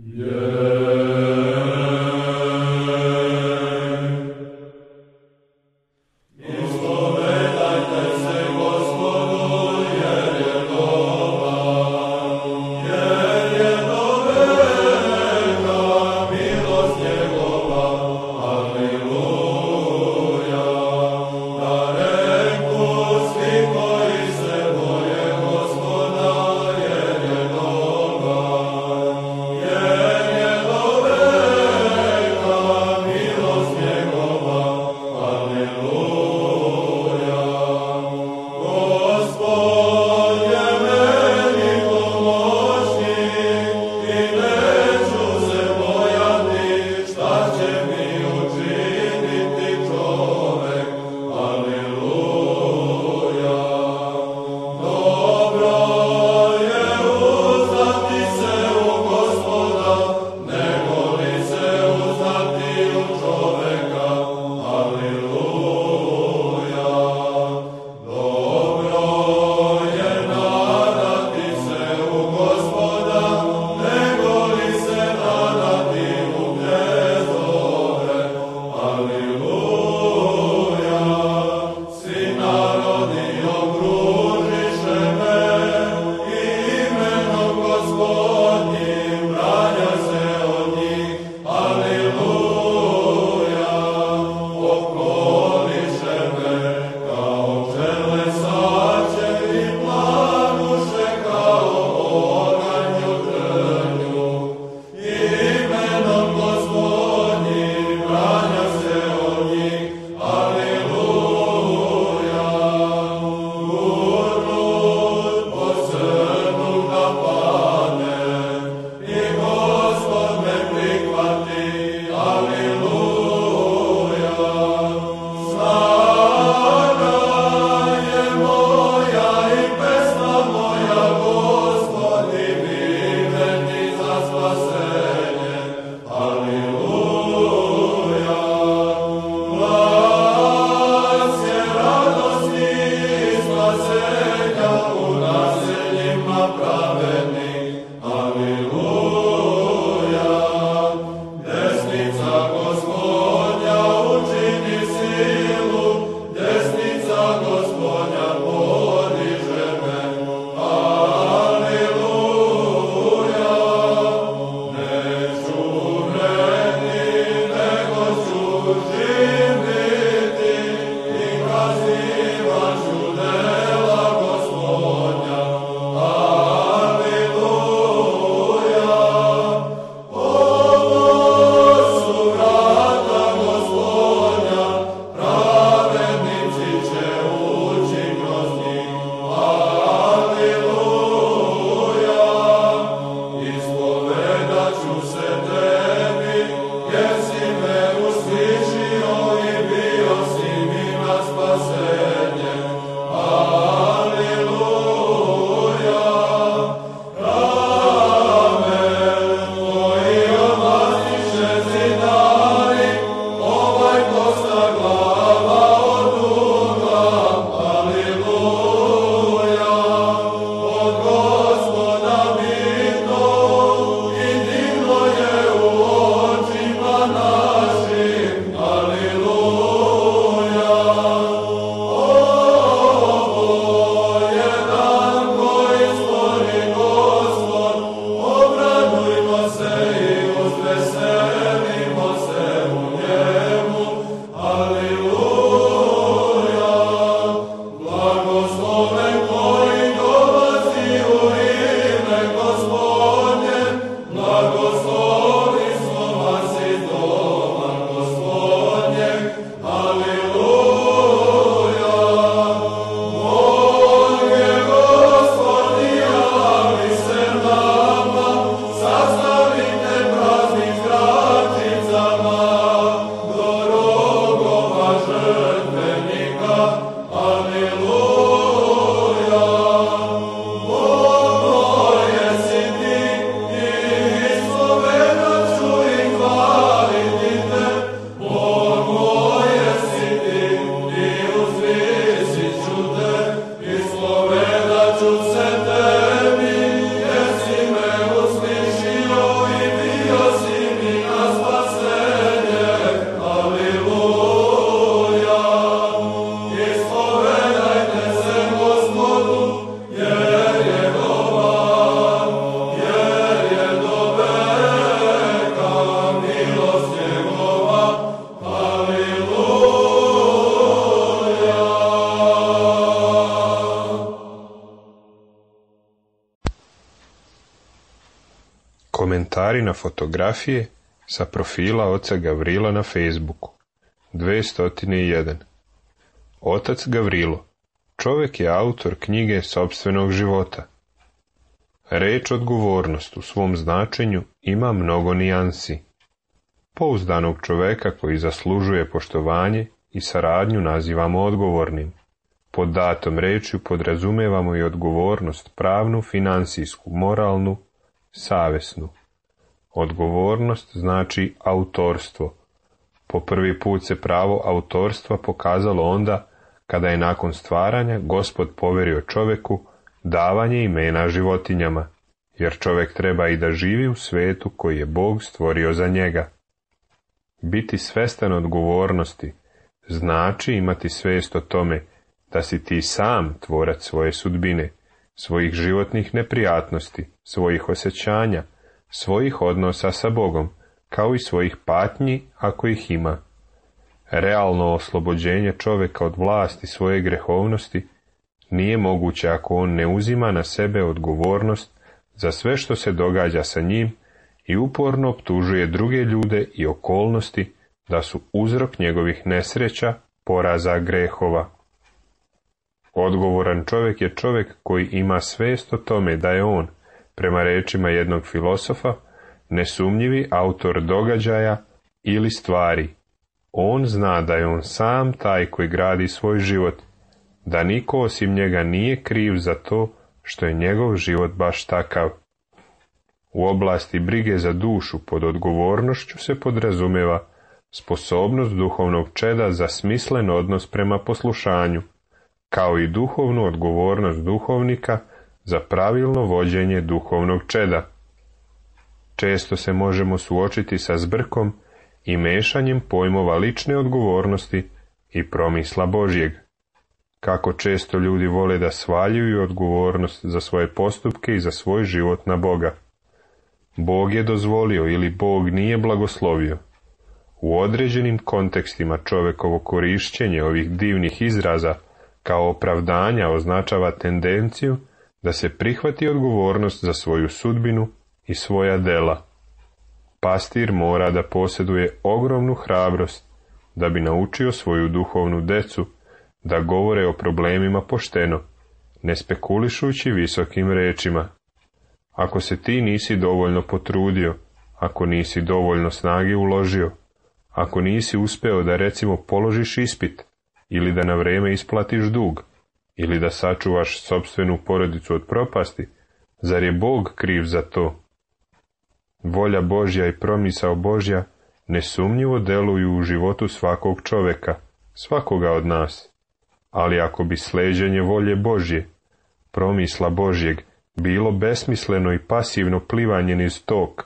Yeah. Komentari na fotografije sa profila oca Gavrila na Facebooku. 201. Otac Gavrilo, čovjek je autor knjige sopstvenog života. Reč odgovornost u svom značenju ima mnogo nijansi. Pouzdanog čovjeka koji zaslužuje poštovanje i saradnju nazivamo odgovornim. Pod datom rečju podrazumevamo i odgovornost pravnu, finansijsku, moralnu, savjesnu. Odgovornost znači autorstvo. Po prvi put se pravo autorstva pokazalo onda kada je nakon stvaranja Gospod poverio čovjeku davanje imena životinjama, jer čovjek treba i da živi u svetu koji je Bog stvorio za njega. Biti svestan odgovornosti znači imati svijest o tome da si ti sam tvorac svoje sudbine, svojih životnih neprijatnosti, svojih osjećanja, svojih odnosa sa Bogom, kao i svojih patnji ako ih ima. Realno oslobođenje čovjeka od vlasti svoje grehovnosti nije moguće ako on ne uzima na sebe odgovornost za sve što se događa sa njim i uporno optužuje druge ljude i okolnosti da su uzrok njegovih nesreća, poraza, grehova. Odgovoran čovjek je čovjek koji ima svijest o tome da je on, prema rečima jednog filosofa, nesumnjivi autor događaja ili stvari. On zna da je on sam taj koji gradi svoj život, da niko osim njega nije kriv za to što je njegov život baš takav. U oblasti brige za dušu pod odgovornošću se podrazumeva sposobnost duhovnog čeda za smislen odnos prema poslušanju, kao i duhovnu odgovornost duhovnika za pravilno vođenje duhovnog čeda. Često se možemo suočiti sa zbrkom i mešanjem pojmova lične odgovornosti i promisla Božjeg. Kako često ljudi vole da svaljuju odgovornost za svoje postupke i za svoj život na Boga. Bog je dozvolio ili Bog nije blagoslovio. U određenim kontekstima čovjekovo korišćenje ovih divnih izraza kao opravdanja označava tendenciju da se prihvati odgovornost za svoju sudbinu i svoja dela. Pastir mora da posjeduje ogromnu hrabrost da bi naučio svoju duhovnu decu da govore o problemima pošteno, ne spekulišući visokim rečima. Ako se ti nisi dovoljno potrudio, ako nisi dovoljno snage uložio, ako nisi uspeo da recimo položiš ispit, ili da na vrijeme isplatiš dug, ili da sačuvaš sopstvenu porodicu od propasti, zar je Bog kriv za to? Volja Božja i promisao Božja nesumnjivo deluju u životu svakog čovjeka, svakoga od nas. Ali ako bi sleđenje volje Božje, promisla Božjeg, bilo besmisleno i pasivno plivanje niz tok,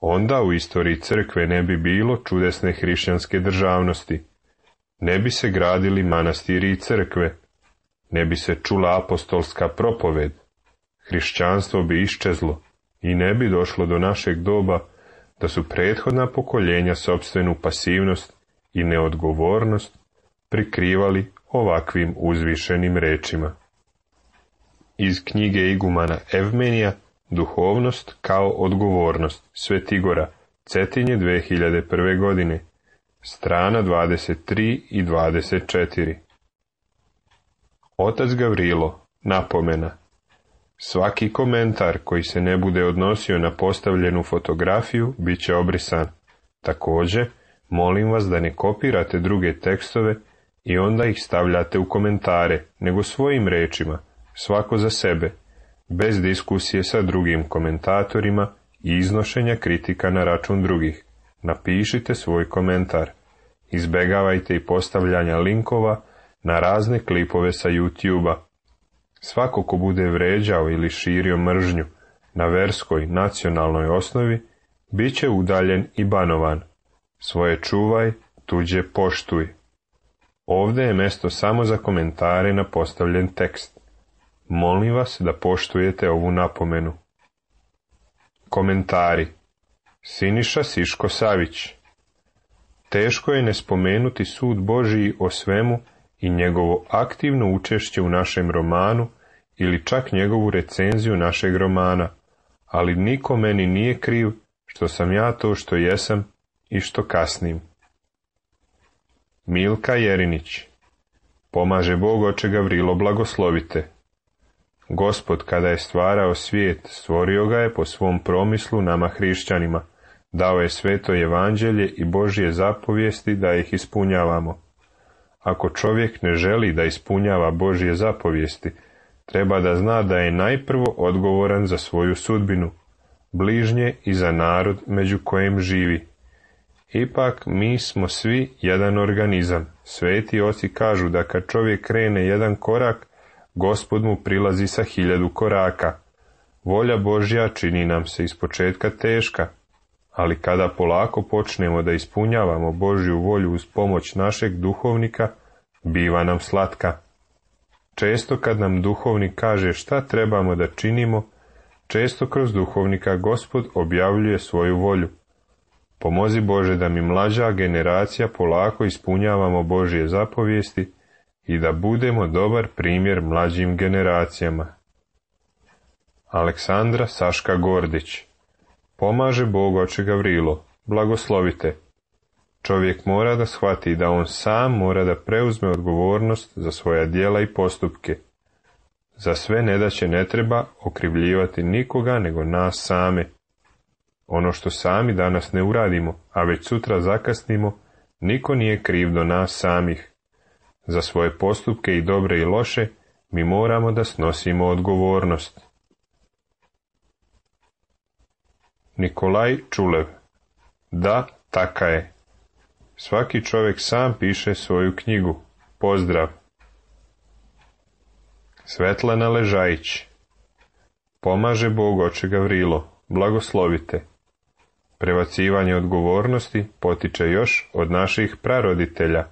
onda u istoriji crkve ne bi bilo čudesne hrišćanske državnosti, ne bi se gradili manastiri i crkve, ne bi se čula apostolska propoved, hrišćanstvo bi iščezlo i ne bi došlo do našeg doba da su prethodna pokoljenja sopstvenu pasivnost i neodgovornost prikrivali ovakvim uzvišenim rečima. Iz knjige igumana Evmenija Duhovnost kao odgovornost, Svetigora, Cetinje 2001. godine, strana 23 i 24. Otac Gavrilo, napomena. Svaki komentar koji se ne bude odnosio na postavljenu fotografiju bit će obrisan. Također, molim vas da ne kopirate druge tekstove i onda ih stavljate u komentare, nego svojim rečima, svako za sebe, bez diskusije sa drugim komentatorima i iznošenja kritika na račun drugih. Napišite svoj komentar. Izbegavajte i postavljanja linkova na razne klipove sa YouTube-a. Svako ko bude vređao ili širio mržnju na verskoj, nacionalnoj osnovi, bit će udaljen i banovan. Svoje čuvaj, tuđe poštuj. Ovdje je mjesto samo za komentare na postavljen tekst. Molim vas da poštujete ovu napomenu. Komentari. Siniša Siško Savić. Teško je ne spomenuti sud Božiji o svemu i njegovo aktivno učešće u našem romanu ili čak njegovu recenziju našeg romana, ali niko meni nije kriv što sam ja to što jesam i što kasnim. Milka Jerinić. Pomaže Bog Oče Gavrilo, blagoslovite. Gospod kada je stvarao svijet, stvorio ga je po svom promislu nama hrišćanima, dao je sveto evanđelje i Božje zapovijesti da ih ispunjavamo. Ako čovjek ne želi da ispunjava Božje zapovijesti, treba da zna da je najprvo odgovoran za svoju sudbinu, bližnje i za narod među kojem živi. Ipak mi smo svi jedan organizam. Sveti oci kažu da kad čovjek krene jedan korak, Gospod mu prilazi sa 1000 koraka. Volja Božja čini nam se ispočetka teška, ali kada polako počnemo da ispunjavamo Božju volju uz pomoć našeg duhovnika, biva nam slatka. Često kad nam duhovnik kaže šta trebamo da činimo, često kroz duhovnika Gospod objavljuje svoju volju. Pomozi Bože da mi mlađa generacija polako ispunjavamo Božje zapovijesti i da budemo dobar primjer mlađim generacijama. Aleksandra Saška Gordić. Pomaže Bog Oče Gavrilo, blagoslovite. Čovjek mora da shvati da on sam mora da preuzme odgovornost za svoja djela i postupke. Za sve nedaće ne treba okrivljivati nikoga nego nas same. Ono što sami danas ne uradimo, a već sutra zakasnimo, niko nije kriv do nas samih. Za svoje postupke i dobre i loše mi moramo da snosimo odgovornost. Nikolaj Čulev. Da, taka je. Svaki čovjek sam piše svoju knjigu. Pozdrav. Svetlana Ležajić. Pomaže Bog Oče Gavrilo, blagoslovite. Prebacivanje odgovornosti potiče još od naših praroditelja.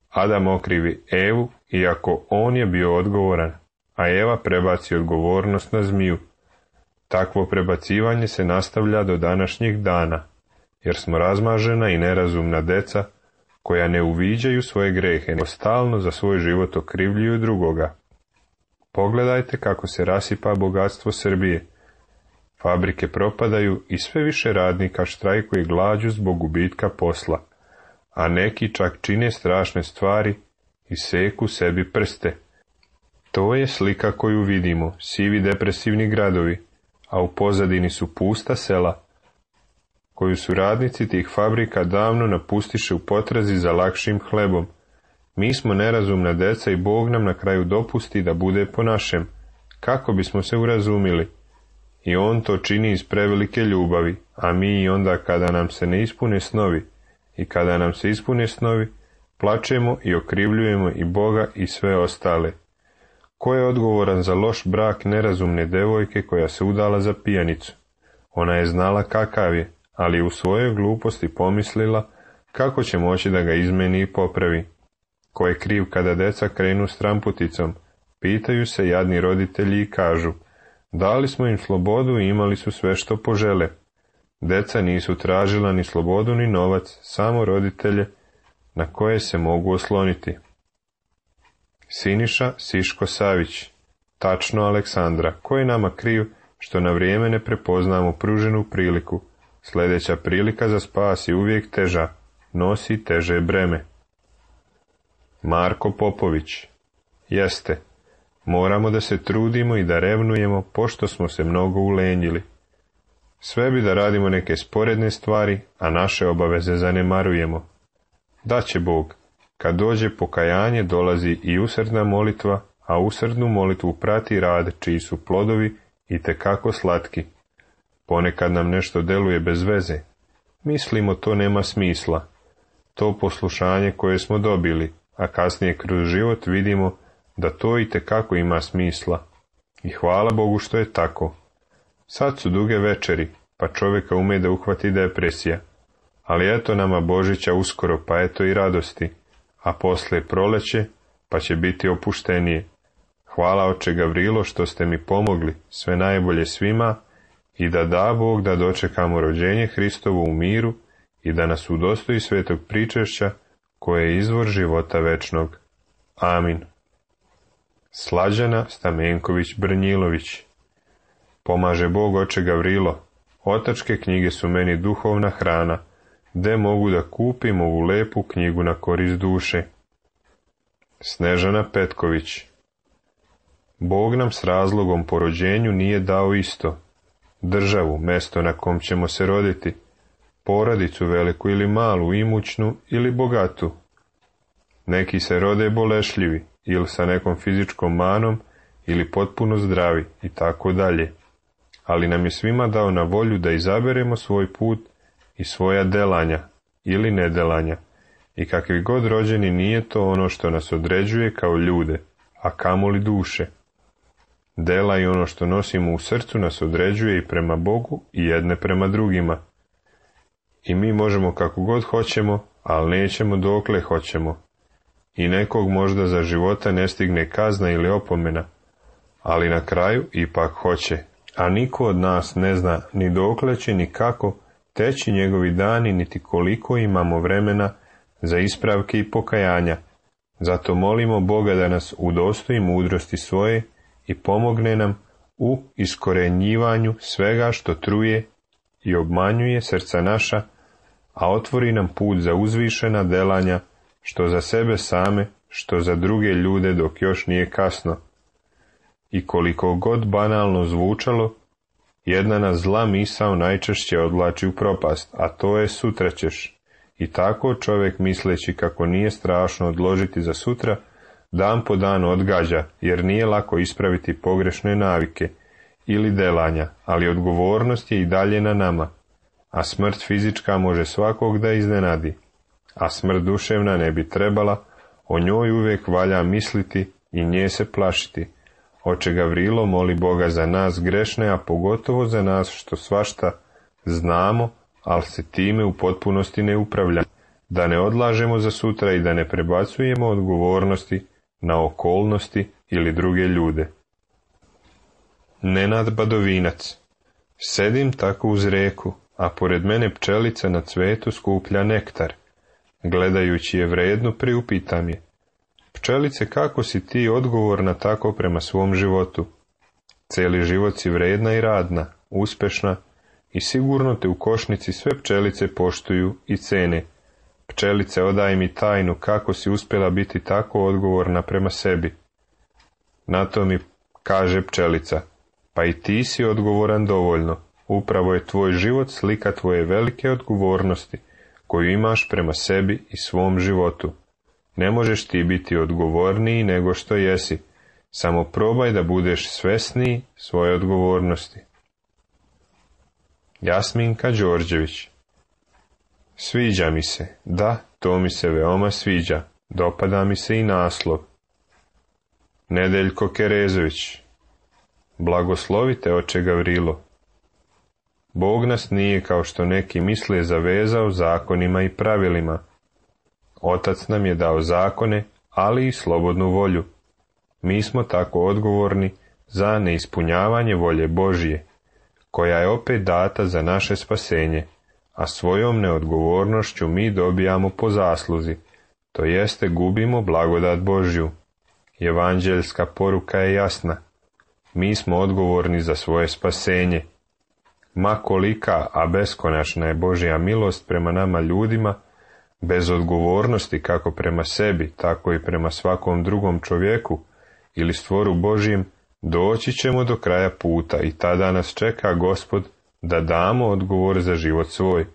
Adam okrivi Evu, iako on je bio odgovoran, a Eva prebaci odgovornost na zmiju. Takvo prebacivanje se nastavlja do današnjih dana, jer smo razmažena i nerazumna deca, koja ne uviđaju svoje grehe, nego stalno za svoj život okrivljuju drugoga. Pogledajte kako se rasipa bogatstvo Srbije. Fabrike propadaju i sve više radnika štrajkuje glađu zbog gubitka posla, a neki čak čine strašne stvari i seku sebi prste. To je slika koju vidimo, sivi depresivni gradovi, a u pozadini su pusta sela, koju su radnici tih fabrika davno napustiše u potrazi za lakšim hlebom. Mi smo nerazumna deca i Bog nam na kraju dopusti da bude po našem, kako bismo se urazumili. I on to čini iz prevelike ljubavi, a mi i onda kada nam se ne ispune snovi, i kada nam se ispune snovi, plačemo i okrivljujemo i Boga i sve ostale. Ko je odgovoran za loš brak nerazumne devojke koja se udala za pijanicu? Ona je znala kakav je, ali u svojoj gluposti pomislila kako će moći da ga izmeni i popravi. Ko je kriv kada deca krenu stramputicom? Pitaju se jadni roditelji i kažu, dali smo im slobodu i imali su sve što požele. Deca nisu tražila ni slobodu ni novac, samo roditelje na koje se mogu osloniti. Siniša Siško Savić. Tačno, Aleksandra, ko je nama kriv što na vrijeme ne prepoznamo pruženu priliku? Sljedeća prilika za spas je uvijek teža, nosi teže breme. Marko Popović. Jeste, moramo da se trudimo i da revnujemo, pošto smo se mnogo ulenjili. Sve bi da radimo neke sporedne stvari, a naše obaveze zanemarujemo. Daće Bog, kad dođe pokajanje dolazi i usrdna molitva, a usrdnu molitvu prati rad čiji su plodovi itekako slatki. Ponekad nam nešto deluje bez veze. Mislimo to nema smisla. To poslušanje koje smo dobili, a kasnije kroz život vidimo da to itekako ima smisla. I hvala Bogu što je tako. Sad su duge večeri, pa čovjeka ume da uhvati depresija. Ali eto nama Božića uskoro, pa eto i radosti. A poslije proleće, pa će biti opuštenije. Hvala Oče Gavrilo što ste mi pomogli, sve najbolje svima, i da Bog da dočekamo rođenje Hristovo u miru i da nas udostoji svetog pričešća koje je izvor života večnog. Amin. Slađana Stamenković Brnjilović. Pomaže Bog, oče Gavrilo. Otačke knjige su meni duhovna hrana, gde mogu da kupim ovu lepu knjigu na korist duše. Snežana Petković. Bog nam s razlogom po rođenju nije dao isto. Državu, mesto na kom ćemo se roditi, porodicu veliku ili malu, imućnu ili bogatu. Neki se rode bolešljivi, ili sa nekom fizičkom manom, ili potpuno zdravi, i tako dalje. Ali nam je svima dao na volju da izaberemo svoj put i svoja delanja, ili nedelanja, i kakvi god rođeni nije to ono što nas određuje kao ljude, a kamoli duše. Dela i ono što nosimo u srcu nas određuje i prema Bogu i jedne prema drugima. I mi možemo kako god hoćemo, ali nećemo dokle hoćemo. I nekog možda za života ne stigne kazna ili opomena, ali na kraju ipak hoće. A niko od nas ne zna ni dokle će ni kako teći njegovi dani, niti koliko imamo vremena za ispravke i pokajanja. Zato molimo Boga da nas udostoji mudrosti svoje i pomogne nam u iskorenjivanju svega što truje i obmanjuje srca naša, a otvori nam put za uzvišena delanja, što za sebe same, što za druge ljude dok još nije kasno. I koliko god banalno zvučalo, jedna nas zla misao najčešće odvlači u propast, a to je sutra ćeš. I tako čovjek, misleći kako nije strašno odložiti za sutra, dan po dan odgađa, jer nije lako ispraviti pogrešne navike ili delanja, ali odgovornost je i dalje na nama, a smrt fizička može svakog da iznenadi, a smrt duševna ne bi trebala, o njoj uvijek valja misliti i nje se plašiti. Oče Gavrilo, moli Boga za nas grešne, a pogotovo za nas što svašta znamo, ali se time u potpunosti ne upravlja, da ne odlažemo za sutra i da ne prebacujemo odgovornosti na okolnosti ili druge ljude. Nenad Badovinac. Sedim tako uz reku, a pored mene pčelica na cvetu skuplja nektar. Gledajući je vredno, priupitam je: pčelice, kako si ti odgovorna tako prema svom životu? Cijeli život si vredna i radna, uspešna, i sigurno te u košnici sve pčelice poštuju i cene. Pčelice, odaj mi tajnu kako si uspjela biti tako odgovorna prema sebi. Na to mi kaže pčelica: pa i ti si odgovoran dovoljno. Upravo je tvoj život slika tvoje velike odgovornosti koju imaš prema sebi i svom životu. Ne možeš ti biti odgovorniji nego što jesi. Samo probaj da budeš svesniji svoje odgovornosti. Jasminka Đorđević. Sviđa mi se, da, to mi se veoma sviđa, dopada mi se i naslov. Nedeljko Kerezović. Blagoslovite, oče Gavrilo. Bog nas nije, kao što neki misle, zavezao zakonima i pravilima. Otac nam je dao zakone, ali i slobodnu volju. Mi smo tako odgovorni za neispunjavanje volje Božije, koja je opet data za naše spasenje, a svojom neodgovornošću mi dobijamo po zasluzi, to jeste gubimo blagodat Božju. Evanđeljska poruka je jasna. Mi smo odgovorni za svoje spasenje. Ma kolika, a beskonačna je Božja milost prema nama ljudima, bez odgovornosti kako prema sebi, tako i prema svakom drugom čovjeku ili stvoru Božjem, doći ćemo do kraja puta i tada nas čeka Gospod da damo odgovor za život svoj,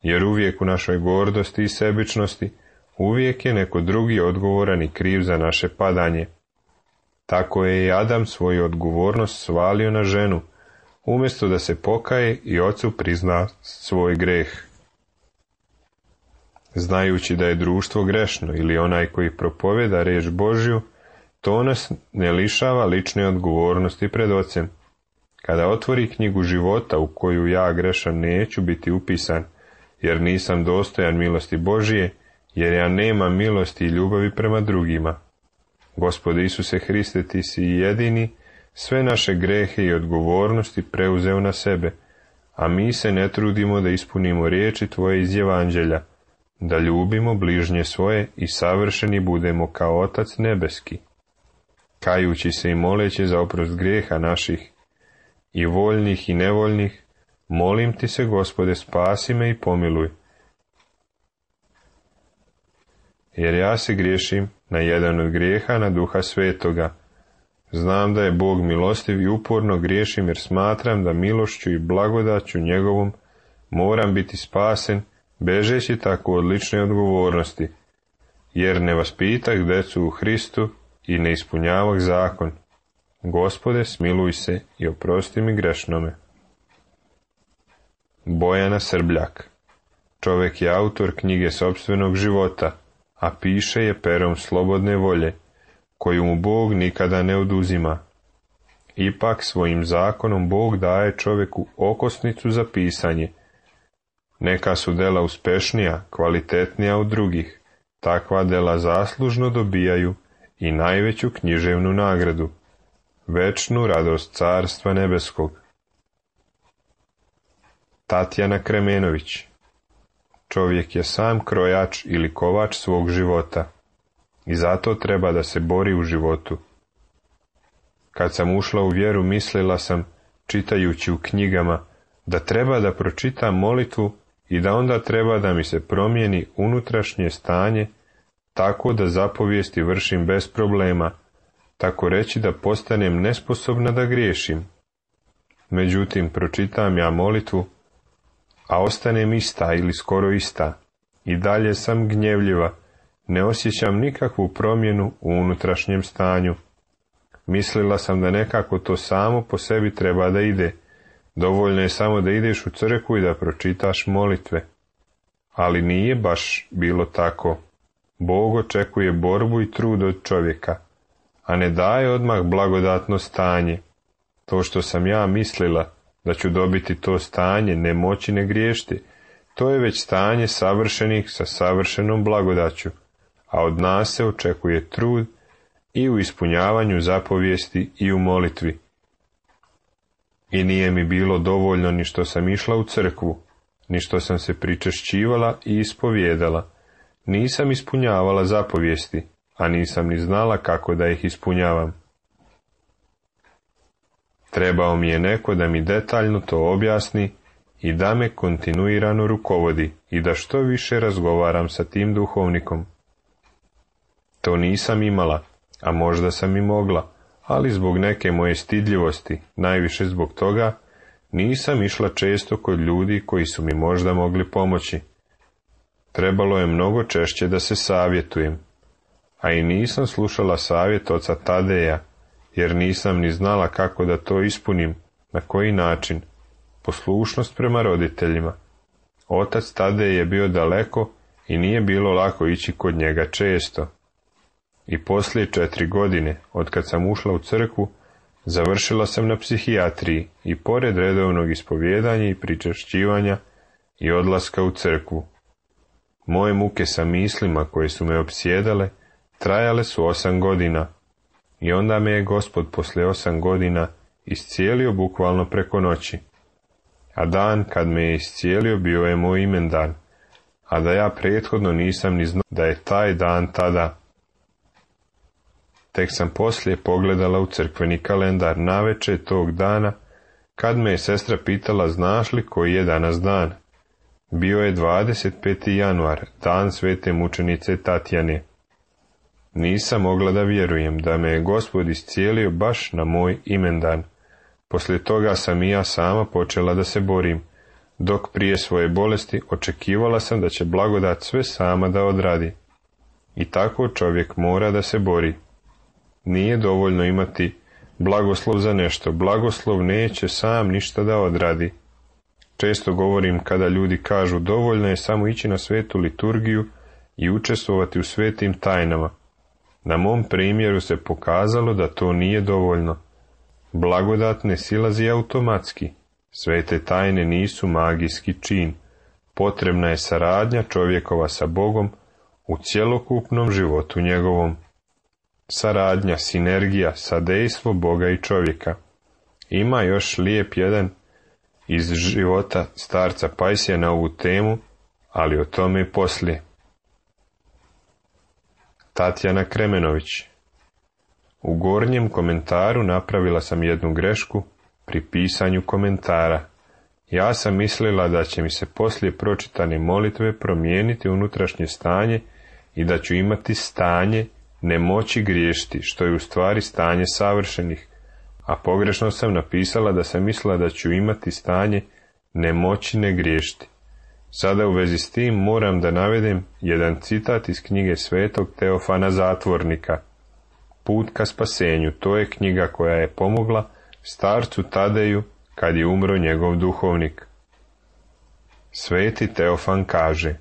jer uvijek u našoj gordosti i sebičnosti uvijek je neko drugi odgovoran i kriv za naše padanje. Tako je i Adam svoju odgovornost svalio na ženu, umjesto da se pokaje i ocu prizna svoj greh. Znajući da je društvo grešno ili onaj koji propovjeda riječ Božju, to nas ne lišava lične odgovornosti pred ocem. Kada otvori knjigu života u koju ja grešan neću biti upisan, jer nisam dostojan milosti Božije, jer ja nemam milosti i ljubavi prema drugima. Gospode Isuse Hriste, ti si jedini sve naše grehe i odgovornosti preuzeo na sebe, a mi se ne trudimo da ispunimo riječi tvoje iz Evanđelja, da ljubimo bližnje svoje i savršeni budemo kao Otac nebeski. Kajući se i moleći za oprost grijeha naših, i voljnih i nevoljnih, molim ti se, Gospode, spasi me i pomiluj. Jer ja se griješim na jedan od grijeha na Duha Svetoga. Znam da je Bog milostiv i uporno griješim jer smatram da milošću i blagodaću njegovom moram biti spasen, bežeći tako od lične odgovornosti, jer ne vaspitah decu u Hristu i ne ispunjavah zakon. Gospode, smiluj se i oprosti mi grešnome. Bojana Srbljak. Čovek je autor knjige sopstvenog života, a piše je perom slobodne volje, koju mu Bog nikada ne oduzima. Ipak svojim zakonom Bog daje čoveku okosnicu za pisanje. Neka su dela uspešnija, kvalitetnija od drugih, takva dela zaslužno dobijaju i najveću književnu nagradu, večnu radost Carstva nebeskog. Tatjana Kremenović. Čovjek je sam krojač ili kovač svog života i zato treba da se bori u životu. Kad sam ušla u vjeru, mislila sam, čitajući u knjigama, da treba da pročitam molitvu i da onda treba da mi se promijeni unutrašnje stanje tako da zapovijesti vršim bez problema, tako reći da postanem nesposobna da griješim. Međutim, pročitam ja molitvu, a ostanem ista ili skoro ista, i dalje sam gnjevljiva, ne osjećam nikakvu promjenu u unutrašnjem stanju. Mislila sam da nekako to samo po sebi treba da ide, dovoljno je samo da ideš u crkvu i da pročitaš molitve. Ali nije baš bilo tako. Bog očekuje borbu i trud od čovjeka, a ne daje odmah blagodatno stanje. To što sam ja mislila da ću dobiti to stanje, ne moći ne griješiti, to je već stanje savršenih sa savršenom blagodaću, a od nas se očekuje trud i u ispunjavanju zapovijesti i u molitvi. I nije mi bilo dovoljno ni što sam išla u crkvu, ni što sam se pričešćivala i ispovijedala. Nisam ispunjavala zapovijesti, a nisam ni znala kako da ih ispunjavam. Trebao mi je neko da mi detaljno to objasni i da me kontinuirano rukovodi i da što više razgovaram sa tim duhovnikom. To nisam imala, a možda sam i mogla, ali zbog neke moje stidljivosti, najviše zbog toga, nisam išla često kod ljudi koji su mi možda mogli pomoći. Trebalo je mnogo češće da se savjetujem, a i nisam slušala savjet oca Tadeja, jer nisam ni znala kako da to ispunim, na koji način. Poslušnost prema roditeljima. Otac Tadej je bio daleko i nije bilo lako ići kod njega često. I poslije 4 godine, otkad sam ušla u crkvu, završila sam na psihijatriji i pored redovnog ispovijedanja i pričešćivanja i odlaska u crkvu. Moje muke sa mislima koje su me opsjedale trajale su 8 godina i onda me je Gospod poslije 8 godina iscijelio bukvalno preko noći. A dan kad me je iscijelio bio je moj imendan, a da ja prethodno nisam ni znao da je taj dan tada. Tek sam poslije pogledala u crkveni kalendar navečer tog dana, kad me je sestra pitala znaš li koji je danas dan. Bio je 25. januar, dan svete mučenice Tatjane. Nisam mogla da vjerujem da me je Gospod iscijelio baš na moj imendan. Poslije toga sam i ja sama počela da se borim, dok prije svoje bolesti očekivala sam da će blagodat sve sama da odradi. I tako čovjek mora da se bori. Nije dovoljno imati blagoslov za nešto, blagoslov neće sam ništa da odradi. Često govorim kada ljudi kažu dovoljno je samo ići na svetu liturgiju i učestvovati u svetim tajnama. Na mom primjeru se pokazalo da to nije dovoljno. Blagodat ne silazi automatski. Svete tajne nisu magijski čin. Potrebna je saradnja čovjekova sa Bogom u cjelokupnom životu njegovom. Saradnja, sinergija, sadejstvo Boga i čovjeka. Ima još lijep jedan iz života starca Pajsija na ovu temu, ali o tome i poslije. Tatjana Kremenović. U gornjem komentaru napravila sam jednu grešku, pri pisanju komentara. Ja sam mislila da će mi se poslije pročitane molitve promijeniti unutrašnje stanje i da ću imati stanje nemoći griješiti, što je u stvari stanje savršenih, a pogrešno sam napisala da sam mislila da ću imati stanje nemoći ne griješiti. Sada u vezi s tim moram da navedem jedan citat iz knjige svetog Teofana Zatvornika. Put ka spasenju, to je knjiga koja je pomogla starcu Tadeju kad je umro njegov duhovnik. Sveti Teofan kaže: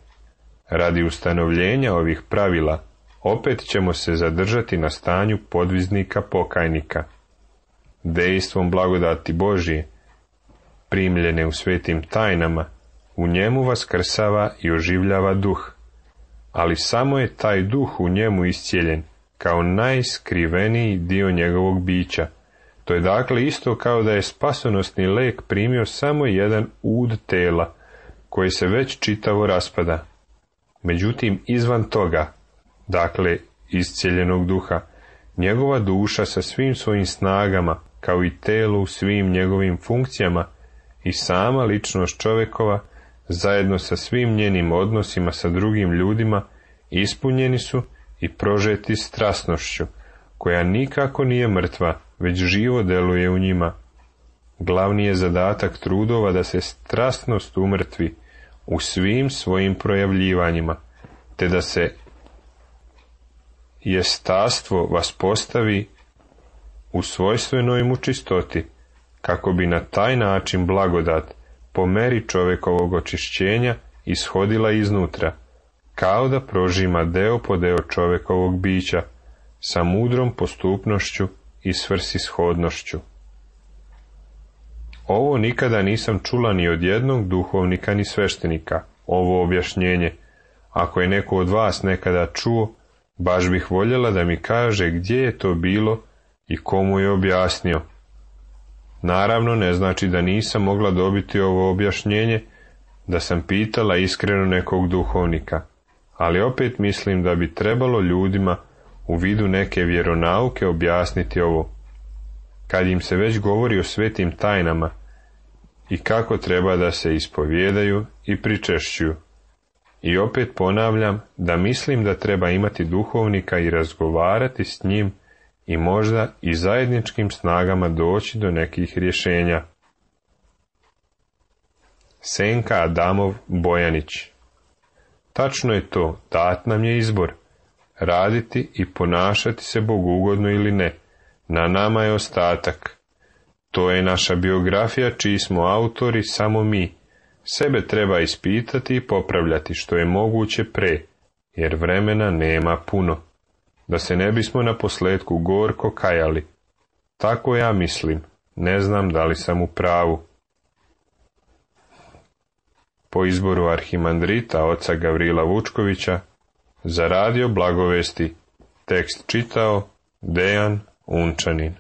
radi ustanovljenja ovih pravila, opet ćemo se zadržati na stanju podviznika pokajnika. Dejstvom blagodati Božije, primljene u svetim tajnama, u njemu vaskrsava i oživljava duh, ali samo je taj duh u njemu iscijeljen, kao najskriveniji dio njegovog bića. To je dakle isto kao da je spasonosni lek primio samo jedan ud tela, koji se već čitavo raspada. Međutim, izvan toga, dakle iscijeljenog duha, njegova duša sa svim svojim snagama, kao i telo u svim njegovim funkcijama, i sama ličnost čovjekova, zajedno sa svim njenim odnosima sa drugim ljudima, ispunjeni su i prožeti strasnošću, koja nikako nije mrtva, već živo deluje u njima. Glavni je zadatak trudova da se strasnost umrtvi u svim svojim projavljivanjima, te da se jestastvo vaspostavi u svojstvenoj mu čistoti, kako bi na taj način blagodat po meri čovjekovog očišćenja ishodila iznutra, kao da prožima deo po deo čovjekovog bića, sa mudrom postupnošću i svrsishodnošću. Ovo nikada nisam čula ni od jednog duhovnika ni sveštenika, ovo objašnjenje. Ako je neko od vas nekada čuo, baš bih voljela da mi kaže gdje je to bilo i komu je objasnio. Naravno, ne znači da nisam mogla dobiti ovo objašnjenje, da sam pitala iskreno nekog duhovnika, ali opet mislim da bi trebalo ljudima u vidu neke vjeronauke objasniti ovo, kad im se već govori o svetim tajnama i kako treba da se ispovijedaju i pričešćuju. I opet ponavljam da mislim da treba imati duhovnika i razgovarati s njim i možda i zajedničkim snagama doći do nekih rješenja. Senka Adamov Bojanić. Tačno je to, dat nam je izbor, raditi i ponašati se bogugodno ili ne, na nama je ostatak. To je naša biografija čiji smo autori samo mi. Sebe treba ispitati i popravljati što je moguće pre, jer vremena nema puno, da se ne bismo na posljetku gorko kajali. Tako ja mislim, ne znam da li sam u pravu. Po izboru arhimandrita oca Gavrila Vučkovića, za radio Blagovesti, tekst čitao Dejan Unčanin.